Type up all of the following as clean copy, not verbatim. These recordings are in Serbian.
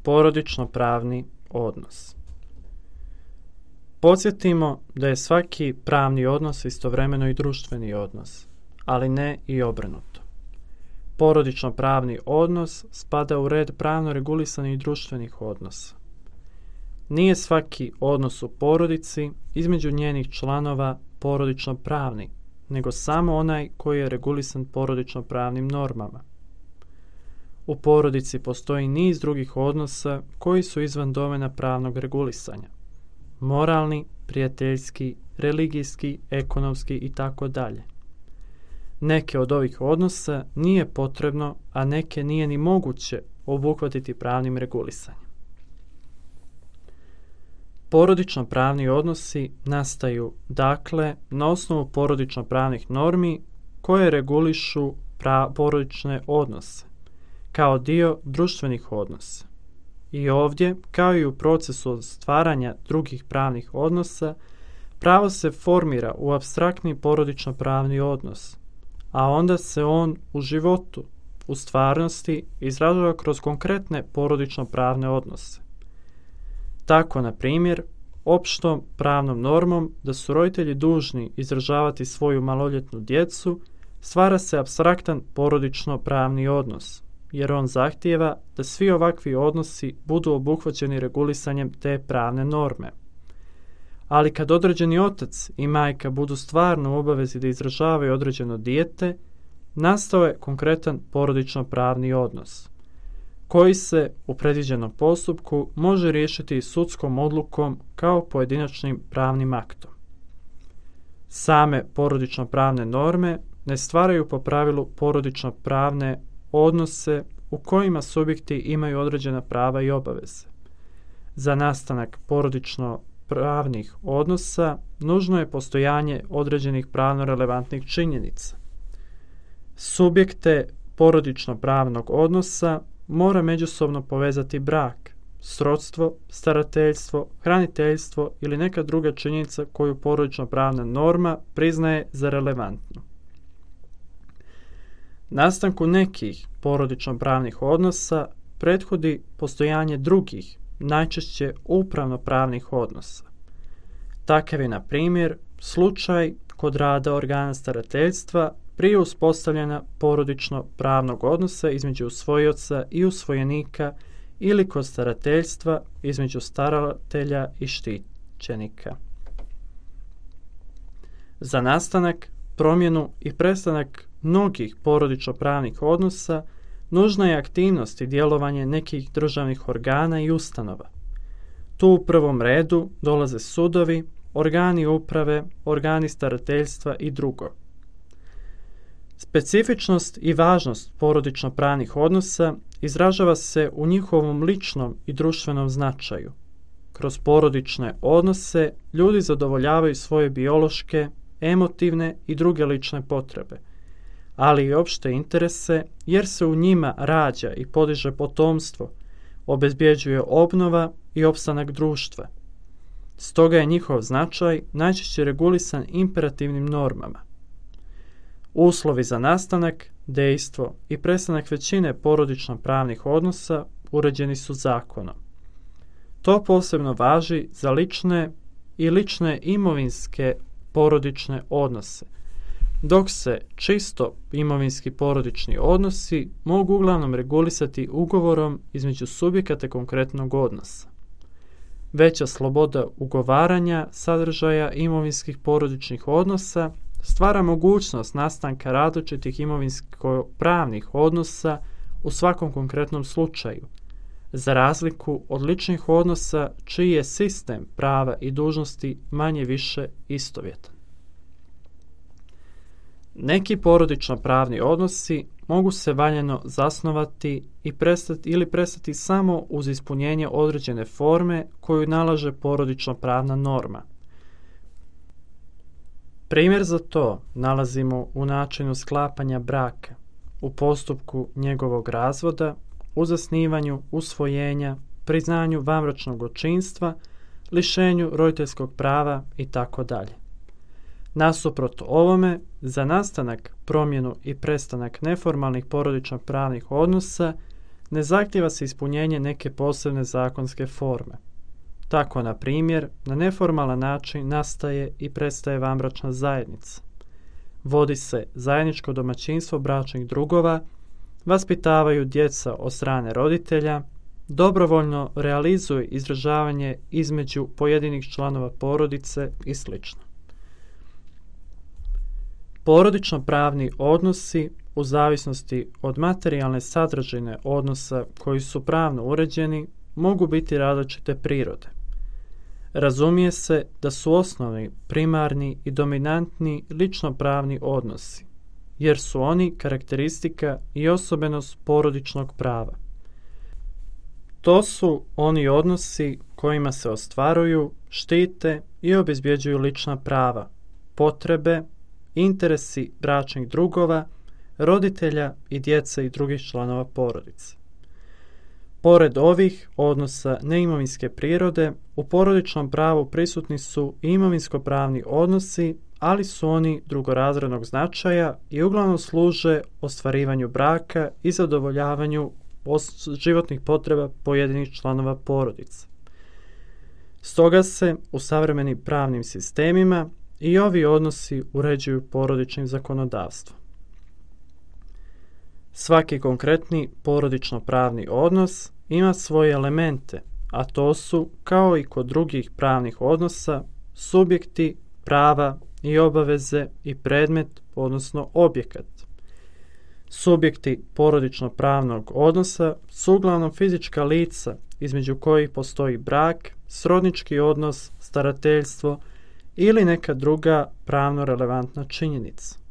Porodično-pravni odnos. Podsjetimo da je svaki pravni odnos istovremeno i društveni odnos, ali ne i obrnuto. Porodično-pravni odnos spada u red pravno regulisanih društvenih odnosa. Nije svaki odnos u porodici između njenih članova porodično-pravni, nego samo onaj koji je regulisan porodično-pravnim normama. U porodici postoji niz drugih odnosa koji su izvan domena pravnog regulisanja. Moralni, prijateljski, religijski, ekonomski itd. Neke od ovih odnosa nije potrebno, a neke nije ni moguće obuhvatiti pravnim regulisanjem. Porodično-pravni odnosi nastaju, dakle, na osnovu porodično-pravnih normi koje regulišu porodične odnose, kao dio društvenih odnosa. I ovdje, kao i u procesu stvaranja drugih pravnih odnosa, pravo se formira u apstraktni porodično-pravni odnos, a onda se on u životu, u stvarnosti, izražava kroz konkretne porodično-pravne odnose. Tako, na primjer, opštom pravnom normom da su roditelji dužni izdržavati svoju maloljetnu djecu, stvara se apstraktan porodično-pravni odnos, jer on zahtijeva da svi ovakvi odnosi budu obuhvaćeni regulisanjem te pravne norme. Ali kad određeni otac i majka budu stvarno u obavezi da izdržavaju određeno dijete, nastao je konkretan porodično-pravni odnos, koji se u predviđenom postupku može riješiti sudskom odlukom kao pojedinačnim pravnim aktom. Same porodično-pravne norme ne stvaraju po pravilu porodično-pravne odnose u kojima subjekti imaju određena prava i obaveze. Za nastanak porodično-pravnih odnosa nužno je postojanje određenih pravno relevantnih činjenica. Subjekte porodično-pravnog odnosa mora međusobno povezati brak, srodstvo, starateljstvo, hraniteljstvo ili neka druga činjenica koju porodično-pravna norma priznaje za relevantnu. Nastanku nekih porodično-pravnih odnosa prethodi postojanje drugih, najčešće upravno-pravnih odnosa. Takav je, na primjer, slučaj kod rada organa starateljstva prije uspostavljena porodično-pravnog odnosa između usvojioca i usvojenika ili kod starateljstva između staratelja i štićenika. Za nastanak, promjenu i prestanak mnogih porodično-pravnih odnosa nužna je aktivnost i djelovanje nekih državnih organa i ustanova. Tu u prvom redu dolaze sudovi, organi uprave, organi starateljstva i drugo. Specifičnost i važnost porodično-pravnih odnosa izražava se u njihovom ličnom i društvenom značaju. Kroz porodične odnose ljudi zadovoljavaju svoje biološke, emotivne i druge lične potrebe, ali i opšte interese, jer se u njima rađa i podiže potomstvo, obezbjeđuje obnova i opstanak društva. Stoga je njihov značaj najčešće regulisan imperativnim normama. Uslovi za nastanak, dejstvo i prestanak većine porodično-pravnih odnosa uređeni su zakonom. To posebno važi za lične i lične imovinske porodične odnose, dok se čisto imovinski porodični odnosi mogu uglavnom regulisati ugovorom između subjekata konkretnog odnosa. Veća sloboda ugovaranja sadržaja imovinskih porodičnih odnosa stvara mogućnost nastanka različitih imovinsko-pravnih odnosa u svakom konkretnom slučaju, za razliku od ličnih odnosa čiji je sistem prava i dužnosti manje-više istovjetan. Neki porodično-pravni odnosi mogu se valjano zasnovati ili prestati samo uz ispunjenje određene forme koju nalaže porodično-pravna norma. Primjer za to nalazimo u načinu sklapanja braka, u postupku njegovog razvoda, u zasnivanju usvojenja, priznanju vanbračnog očinstva, lišenju roditeljskog prava itd. Nasuprot ovome, za nastanak, promjenu i prestanak neformalnih porodično-pravnih odnosa ne zahtijeva se ispunjenje neke posebne zakonske forme. Tako, na primjer, na neformalan način nastaje i prestaje vanbračna zajednica. Vodi se zajedničko domaćinstvo bračnih drugova, vaspitavaju djeca od strane roditelja, dobrovoljno realizuje izražavanje između pojedinih članova porodice i sl. Porodično-pravni odnosi u zavisnosti od materijalne sadržine odnosa koji su pravno uređeni mogu biti različite prirode. Razumije se da su osnovni, primarni i dominantni lično-pravni odnosi, jer su oni karakteristika i osobenost porodičnog prava. To su oni odnosi kojima se ostvaruju, štite i obezbjeđuju lična prava, potrebe, interesi bračnih drugova, roditelja i djece i drugih članova porodice. Pored ovih odnosa neimovinske prirode, u porodičnom pravu prisutni su i imovinsko-pravni odnosi, ali su oni drugorazrednog značaja i uglavnom služe ostvarivanju braka i zadovoljavanju životnih potreba pojedinih članova porodice. Stoga se u savremenim pravnim sistemima i ovi odnosi uređuju porodičnim zakonodavstvom. Svaki konkretni porodično-pravni odnos ima svoje elemente, a to su, kao i kod drugih pravnih odnosa, subjekti, prava i obaveze i predmet, odnosno objekat. Subjekti porodično-pravnog odnosa su uglavnom fizička lica između kojih postoji brak, srodnički odnos, starateljstvo ili neka druga pravno relevantna činjenica.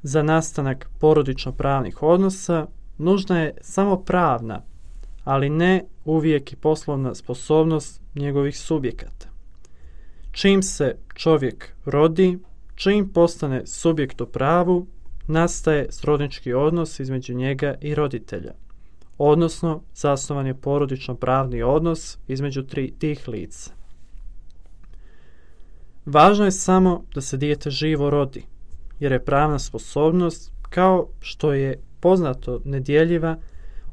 Za nastanak porodično-pravnih odnosa nužna je samo pravna, ali ne uvijek i poslovna sposobnost njegovih subjekata. Čim se čovjek rodi, čim postane subjekt u pravu, nastaje srodnički odnos između njega i roditelja, odnosno zasnovan je porodično-pravni odnos između tih lica. Važno je samo da se dijete živo rodi, jer je pravna sposobnost, kao što je poznato, nedjeljiva,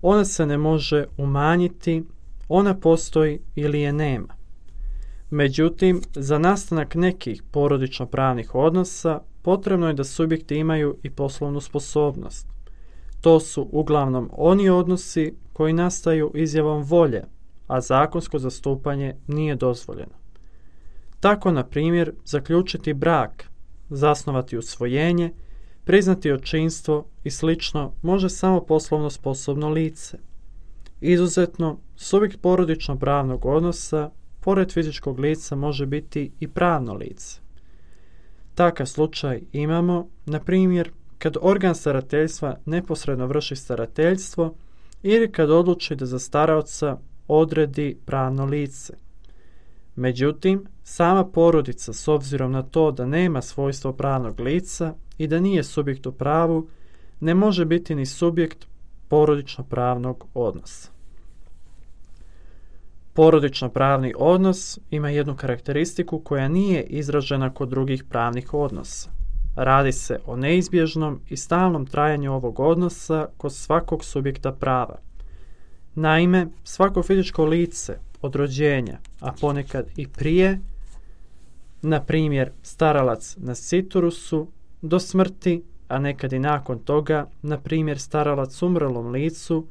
ona se ne može umanjiti, ona postoji ili je nema. Međutim, za nastanak nekih porodično-pravnih odnosa potrebno je da subjekti imaju i poslovnu sposobnost. To su uglavnom oni odnosi koji nastaju izjavom volje, a zakonsko zastupanje nije dozvoljeno. Tako, na primjer, zaključiti brak, zasnovati usvojenje, priznati očinstvo i slično može samo poslovno sposobno lice. Izuzetno, subjekt porodično-pravnog odnosa, pored fizičkog lica, može biti i pravno lice. Takav slučaj imamo, na primjer, kad organ starateljstva neposredno vrši starateljstvo ili kad odluči da za staraoca odredi pravno lice. Međutim, sama porodica, s obzirom na to da nema svojstvo pravnog lica i da nije subjekt u pravu, ne može biti ni subjekt porodično-pravnog odnosa. Porodično-pravni odnos ima jednu karakteristiku koja nije izražena kod drugih pravnih odnosa. Radi se o neizbježnom i stalnom trajanju ovog odnosa kod svakog subjekta prava. Naime, svako fizičko lice od rođenja, a ponekad i prije, na primjer staralac na siturusu, do smrti, a nekad i nakon toga, na primjer staralac umrlom licu,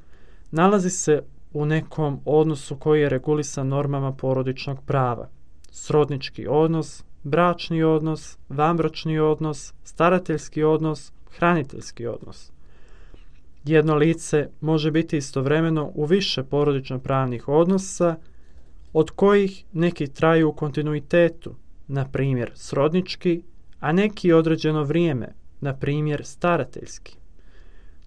nalazi se u nekom odnosu koji je regulisan normama porodičnog prava. Srodnički odnos, bračni odnos, vanbračni odnos, starateljski odnos, hraniteljski odnos. Jedno lice može biti istovremeno u više porodično-pravnih odnosa, od kojih neki traju u kontinuitetu, na primjer srodnički, a neki određeno vrijeme, na primjer starateljski.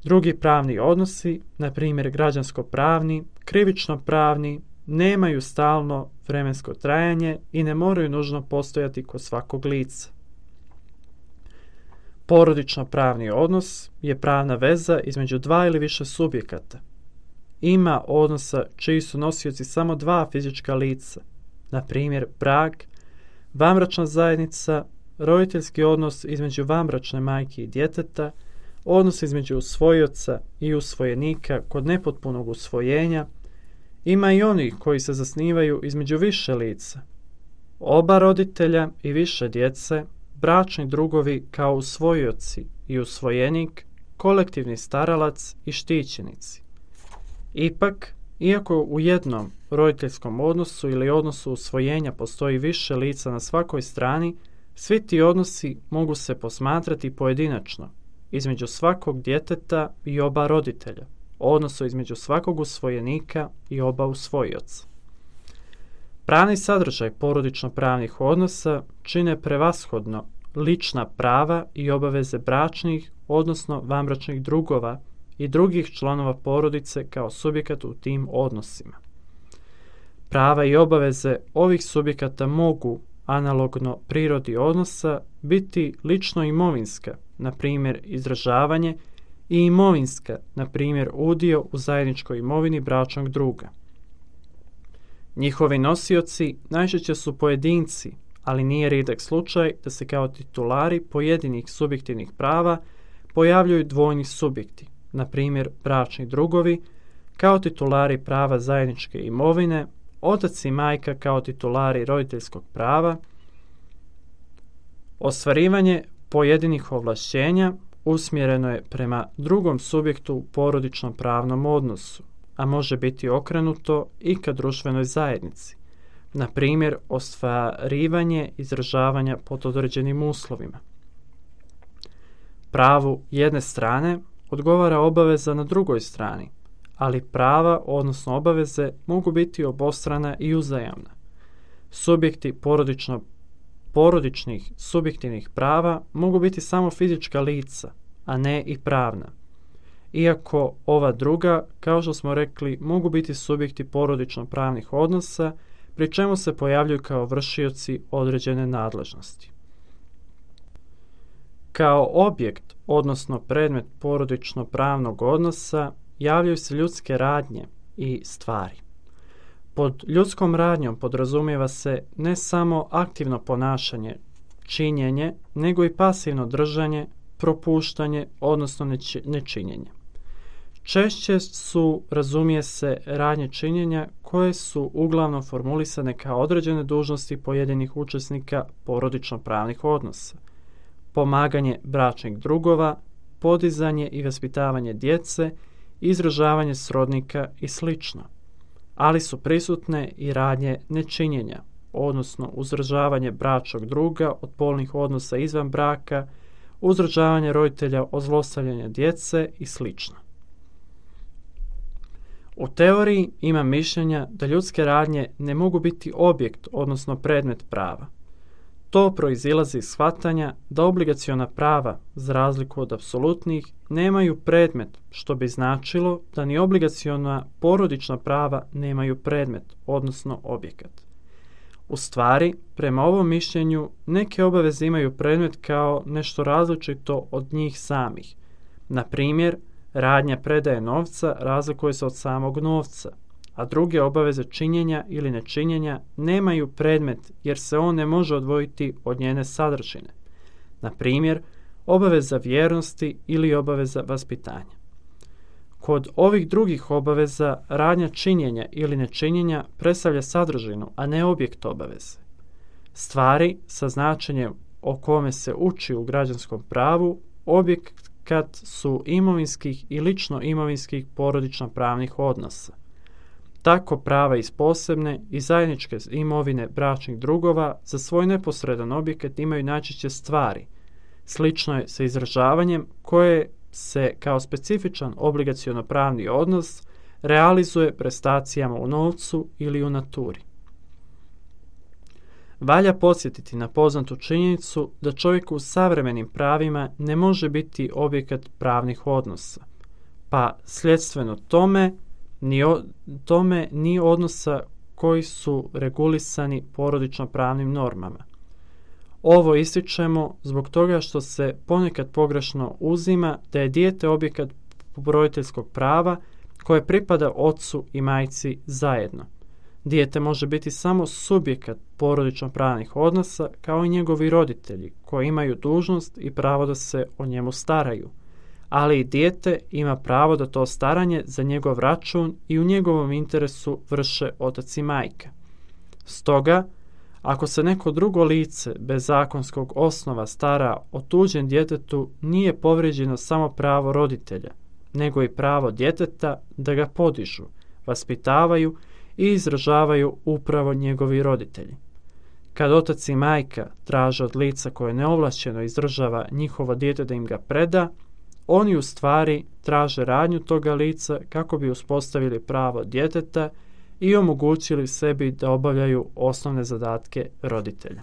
Drugi pravni odnosi, na primjer građansko-pravni, krivično-pravni, nemaju stalno vremensko trajanje i ne moraju nužno postojati kod svakog lica. Porodično-pravni odnos je pravna veza između dva ili više subjekata. Ima odnosa čiji su nosioci samo dva fizička lica, na primjer brak, vanbračna zajednica, roditeljski odnos između vanbračne majke i djeteta, odnos između usvojioca i usvojenika kod nepotpunog usvojenja, ima i onih koji se zasnivaju između više lica, oba roditelja i više djece, bračni drugovi kao usvojioci i usvojenik, kolektivni staralac i štićenici. Ipak, iako u jednom roditeljskom odnosu ili odnosu usvojenja postoji više lica na svakoj strani, svi ti odnosi mogu se posmatrati pojedinačno, između svakog djeteta i oba roditelja, odnosno između svakog usvojenika i oba usvojioca. Pravni sadržaj porodično-pravnih odnosa čine prevashodno lična prava i obaveze bračnih, odnosno vanbračnih drugova i drugih članova porodice kao subjekata u tim odnosima. Prava i obaveze ovih subjekata mogu, analogno prirodi odnosa, biti lično imovinska, na primjer izražavanje, i imovinska, na primjer udio u zajedničkoj imovini bračnog druga. Njihovi nosioci najčešće su pojedinci, ali nije rijedak slučaj da se kao titulari pojedinih subjektivnih prava pojavljuju dvojni subjekti, na primjer bračni drugovi, kao titulari prava zajedničke imovine, otac i majka kao titulari roditeljskog prava. Ostvarivanje pojedinih ovlašćenja usmjereno je prema drugom subjektu u porodičnom pravnom odnosu, a može biti okrenuto i ka društvenoj zajednici, na primjer ostvarivanje izražavanja pod određenim uslovima. Pravu jedne strane odgovara obaveza na drugoj strani, ali prava, odnosno obaveze, mogu biti obostrana i uzajamna. Subjekti porodičnih subjektivnih prava mogu biti samo fizička lica, a ne i pravna. Iako ova druga, kao što smo rekli, mogu biti subjekti porodično-pravnih odnosa, pri čemu se pojavljuju kao vršioci određene nadležnosti. Kao objekt, odnosno predmet porodično-pravnog odnosa, javljaju se ljudske radnje i stvari. Pod ljudskom radnjom podrazumijeva se ne samo aktivno ponašanje, činjenje, nego i pasivno držanje, propuštanje, odnosno nečinjenje. Češće su, razumije se, radnje činjenja koje su uglavnom formulisane kao određene dužnosti pojedinih učesnika porodično-pravnih odnosa. Pomaganje bračnih drugova, podizanje i vaspitavanje djece, izražavanje srodnika i sl. Ali su prisutne i radnje nečinjenja, odnosno uzdržavanje bračnog druga od polnih odnosa izvan braka, uzdržavanje roditelja od zlostavljanja djece i sl. U teoriji ima mišljenja da ljudske radnje ne mogu biti objekt, odnosno predmet prava. To proizilazi iz shvatanja da obligaciona prava, za razliku od apsolutnih, nemaju predmet, što bi značilo da ni obligaciona porodična prava nemaju predmet, odnosno objekat. U stvari, prema ovom mišljenju, neke obaveze imaju predmet kao nešto različito od njih samih. Na primjer, radnja predaje novca razlikuje se od samog novca, a druge obaveze činjenja ili nečinjenja nemaju predmet jer se on ne može odvojiti od njene sadržine. Na primjer, obaveza vjernosti ili obaveza vaspitanja. Kod ovih drugih obaveza radnja činjenja ili nečinjenja predstavlja sadržinu, a ne objekt obaveze. Stvari sa značenjem o kome se uči u građanskom pravu objekat su imovinskih i lično imovinskih porodično-pravnih odnosa. Tako prava iz posebne i zajedničke imovine bračnih drugova za svoj neposredan objekat imaju najčešće stvari. Slično je sa izražavanjem koje se kao specifičan obligaciono-pravni odnos realizuje prestacijama u novcu ili u naturi. Valja podsjetiti na poznatu činjenicu da čovjek u savremenim pravima ne može biti objekat pravnih odnosa, pa sljedstveno tome ni odnosa koji su regulisani porodično-pravnim normama. Ovo ističemo zbog toga što se ponekad pogrešno uzima da je dijete objekat roditeljskog prava koje pripada ocu i majci zajedno. Dijete može biti samo subjekat porodično-pravnih odnosa kao i njegovi roditelji koji imaju dužnost i pravo da se o njemu staraju, ali i dijete ima pravo da to staranje za njegov račun i u njegovom interesu vrše otac i majka. Stoga, ako se neko drugo lice bez zakonskog osnova stara o tuđem djetetu, nije povrijeđeno samo pravo roditelja, nego i pravo djeteta da ga podižu, vaspitavaju i izražavaju upravo njegovi roditelji. Kad otac i majka traže od lica koje neovlašćeno izdržava njihovo dijete da im ga preda, oni u stvari traže radnju toga lica kako bi uspostavili pravo djeteta i omogućili sebi da obavljaju osnovne zadatke roditelja.